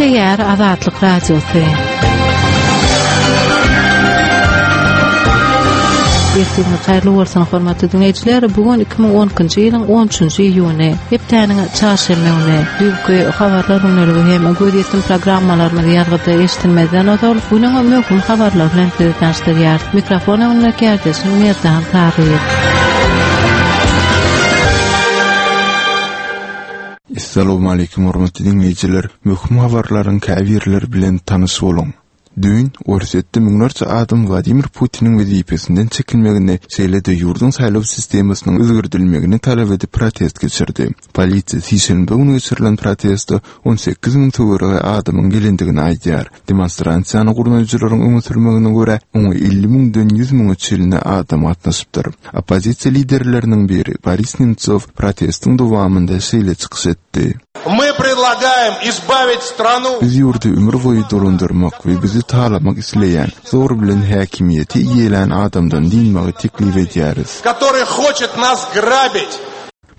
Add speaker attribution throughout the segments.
Speaker 1: Gepleýär Azatlyk Radiosy. Ertiriňiz haýyrly bolsun, hormatly diňleýjiler! Bu gün 2012-nji ýylyň 13-nji iýuny, hepdäniň çarşenbe güni. Düýnki habarlar gündeligi hem gözýetim programmalarymyzy ýazgyda eşidilmezden ozal, günüň möhüm habarlary bilen sizi tanyşdyrýarys. Mikrofon öňünde kärdeşim Merdan Saryýew.
Speaker 2: Essalowmaleýkim hormatly diňleýjiler! Möhüm habarlaryň käbirleri bilen tanyş boluň. Düýn, Orsýetde müňlerçe adam Wladimir Putiniň wezipesinden çekilmegini, şeýle-de ýurduň saýlaw sistemasynyň özgerdilmegini talap edip protest geçirdi. Polisiýa sişenbe güni geçirilen proteste 18 müň töweregi adamyň gelendigini aýdýar. Demonstrasiýany gurnaýjylaryň öňe sürmegine görä, oňa 50 müňden 100 müňe çenli adam gatnaşypdyr. Oppozisiýa liderleriniň biri Boris Nemtsow protestiň dowamynda şeýle çykyş etdi.
Speaker 3: My predlagaem izbawit stranu.
Speaker 2: Biz ýurdy ömür boýy dolandyrmak we bizi talamak isleýän, zor bilen häkimiýeti eýelän adamdan dynmagy teklip edýäris.
Speaker 3: Kotoryý hoçet nas grabit.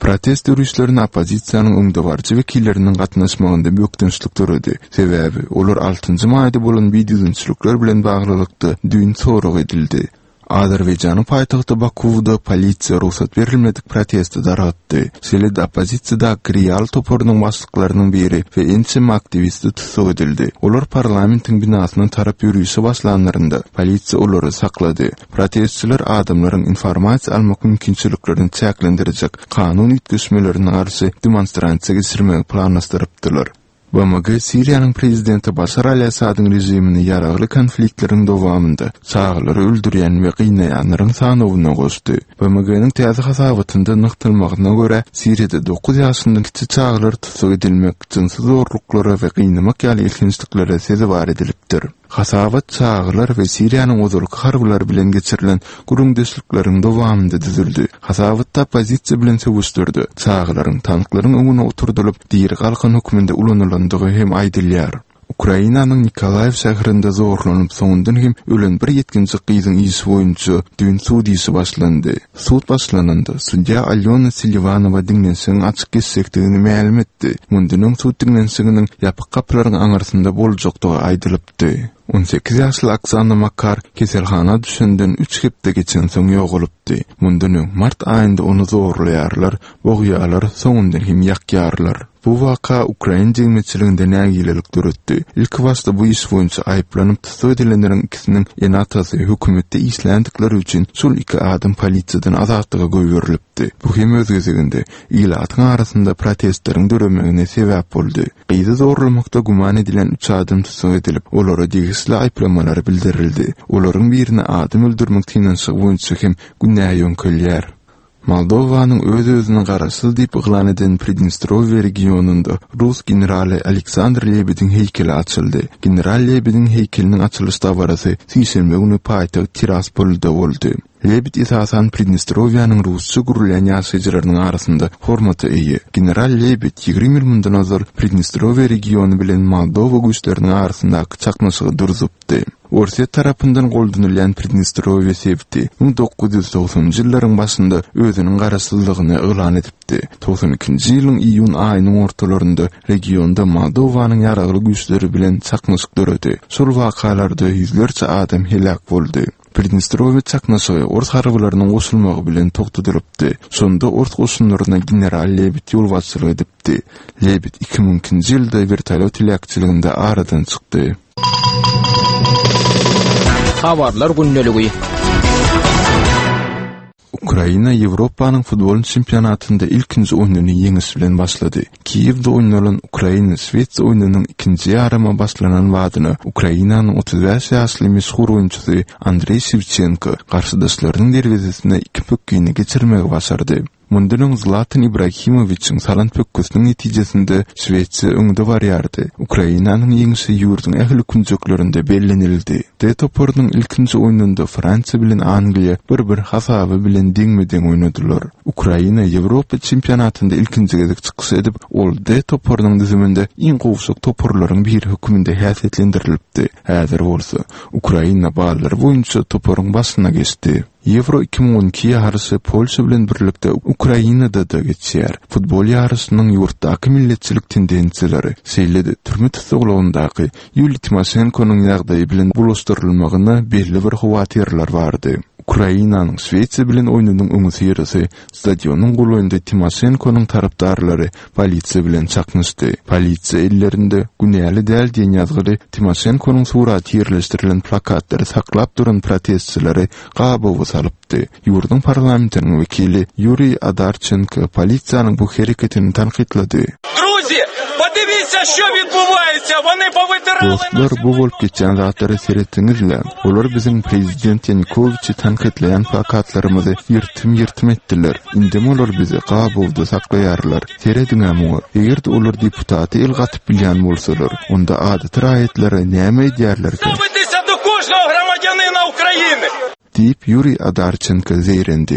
Speaker 2: Protest ýörişlerine oppozisiýanyň öňdebaryjy wekilleriniň gatnaşmagynda bökdençlik döredi. Sebäbi, olar altynjy maýda bolan bidüzgünçilikler bilen baglylykda düýn sorag edildi. Azerbaýjanyň paýtagty Bakuwda polisiýa rugsat berilmedik protesti dargatdy. Şeýle-de oppozisiýadaky Real toparynyň başlyklarynyň biri we ençeme aktiwisti tussag edildi. Olar parlamentiň binasyna tarap ýörişe başlanlarynda, polisiýa olary saklady. Protestçiler adamlaryň informasiýa almak mümkinçiliklerini çäklendirjek kanun üýtgeşmelerine garşy demonstrasiýa geçirmegi planlaşdyrypdylar. BMG Siriýanyň prezidenti Başar al-Assadyň režimini ýaragly konfliktleriň dowamynda çagalary öldürýän we gynaýanlaryň sanawyna goşdy. BMG-niň täze hasabatynda nygtalmagyna görä, Siriýada dokuz ýaşyndan kiçi çagalar tussag edilmek, jynsy zorluklara we gynamak ýaly elhençliklere sezewar edilipdir. Hasabat çagalar we Siriýanyň ozalky harbylary bilen geçirilen gürrüňdeşlikleriň dowamynda düzüldi. Hasabatda oppozisiýa bilen söweşlerde çagalaryň tanklaryň öňüne oturdylyp, diri galkan hökmünde ulanylandygy hem aýdylýar. Ukrainanyň Nikolaýew şäherinde zorlanyp, soňundan hem ölen bir ýetginjek gyzyň işi boýunça düýn sud işi başlandy. Sud başlananda, sudýa Alýona Seliwanowa diňlenişigiň açyk geçjekdigini mälim etdi. Mundan öň sud diňlenişiginiň ýapyk gapylaryň aňyrsynda boljakdygy aýdylypdy. 18 ýaşly Oksana Makar keselhana düşenden üç hepde geçensoň ýogalypdy. Mundan öň, mart aýynda ony zorlaýarlar, bogýarlar, soňundan hem ýakýarlar. Bu waka ukrain jemgyýetçiliginde nägilelik döretdi. Ilkibaşda bu iş boýunça aýyplanyp tussag edilenleriň ikisiniň ene-atasy hökümetde işländikleri üçin şol iki adam polisiýadan azatlyga goýberilipdi. Bu hem öz gezeginde ilatyň arasynda protestleriň döremegine sebäp boldy. Gyzy zorlamakda güman edilýän üç adam tussag edilip, olara degişli aýyplamalar bildirildi. Olaryň birine adam öldürmek synanyşygy boýunça hem günä ýöňkelýär. Moldowanyň öz-özüni garaşsyz diýip yglan eden Pridnestrowiýe regionynda rus generaly Aleksandr Lebediň heýkeli açyldy. General Lebediň heýkeliniň açylyş dabarasy sişenbe güni paýtagt Tiraspolda boldy. Lebed esasan Pridnestrowiýanyň rusça gürleýän ýaşaýjylarynyň arasynda hormata eýe. General Lebed 20 ýyl mundan ozal Pridnestrowiýe regiony bilen Moldowa güýçleriniň arasyndaky çaknyşygy duruzupdy. Orsýet tarapyndan goldanylýan Pridnestrowiýe sebiti 1990-njy ýyllaryň başynda özüniň garaşsyzlygyny yglan edipdi. Togsan ikinji ýylyň iýun aýynyň ortalarynda regionda Moldowanyň ýaragly güýçleri bilen çaknyşyk döredi. Şol wakalarda ýüzlerçe adam heläk boldy. Pridnestrowiýe çaknyşygy ors harbylarynyň goşulmagy bilen togtadylypdy. Şonda ors goşunlaryna general Lebed ýolbaşçylyk edipdi. Lebed 2002-nji ýylda wertolýot heläkçiliginde aradan çykdy.
Speaker 4: Habarlar gündeligi.
Speaker 2: Ukraina Ýewropanyň futbol çempionatynda ilkinji oýnuny ýeňiş bilen başlady. Kiýewde oýnalan Ukraina-Şwesiýa oýnunyň ikinji ýarymy başlanan badyna Ukrainanyň 35 ýaşly meşhur oýunçysy Andreý Şewçenko garşydaşlarynyň derwezesine iki pökgini geçirmegi başardy. Mundan öň Zlatan Ibrahimowiçiň salan pökgüsiniň netijesinde Şwesiýa öňde barýardy. Ukrainanyň ýeňşi ýurduň ähli künjeklerinde bellenildi. D toparynyň ilkinji oýnunda Fransiýa bilen Angliýa bir-bir hasaby bilen deňme-deň oýnadylar. Ukraina Ýewropa çempionatynda ilkinji gezek çykyş edip, ol D toparynyň düzüminde iň gowşak toparlaryň biri hökmünde häsiýetlendirilipdi. Häzir bolsa, Ukraina ballary boýunça toparyň başyna geçdi. Ýewro 2012 ýaryşy Polşa bilen birlikde Ukrainada-da geçýär. Futbol ýaryşynyň ýurtdaky milletçilik tendensiýalary, şeýle-de türme tussaglygyndaky Ýuliýa Timoşenkonyň ýagdaýy bilen bulaşdyrylmagyna belli bir howatyrlar bardy. Ukrainanyň Şwesiýa bilen oýnunyň öňüsyrasy stadionyň golaýynda Timoşenkonyň tarapdarlary polisiýa bilen çaknyşdy. Polisiýa ellerinde Günäli däl diýen ýazgyly Timoşenkonyň suraty ýerleşdirilen plakatlary saklap duran protestçileri gabawa salypdy. Ýurduň parlamentiniň wekili Ýuriý Adarçenko polisiýanyň bu hereketini tankytlady. Dostlar, bu bolup geçýän zatlara seretseňizle, olar biziň prezident Ýanukowiçi tankytlaýan plakatlarymyzy ýyrtym-ýyrtym etdiler. Indem olar bizi gabawda saklaýarlar. Serediň-ä muňa, eger-de olar deputata el gatyp bilýän bolsalar, onda adaty raýatlara näme edýärlerkä? Diýip, Ýuriý Adarçenko zeýrendi.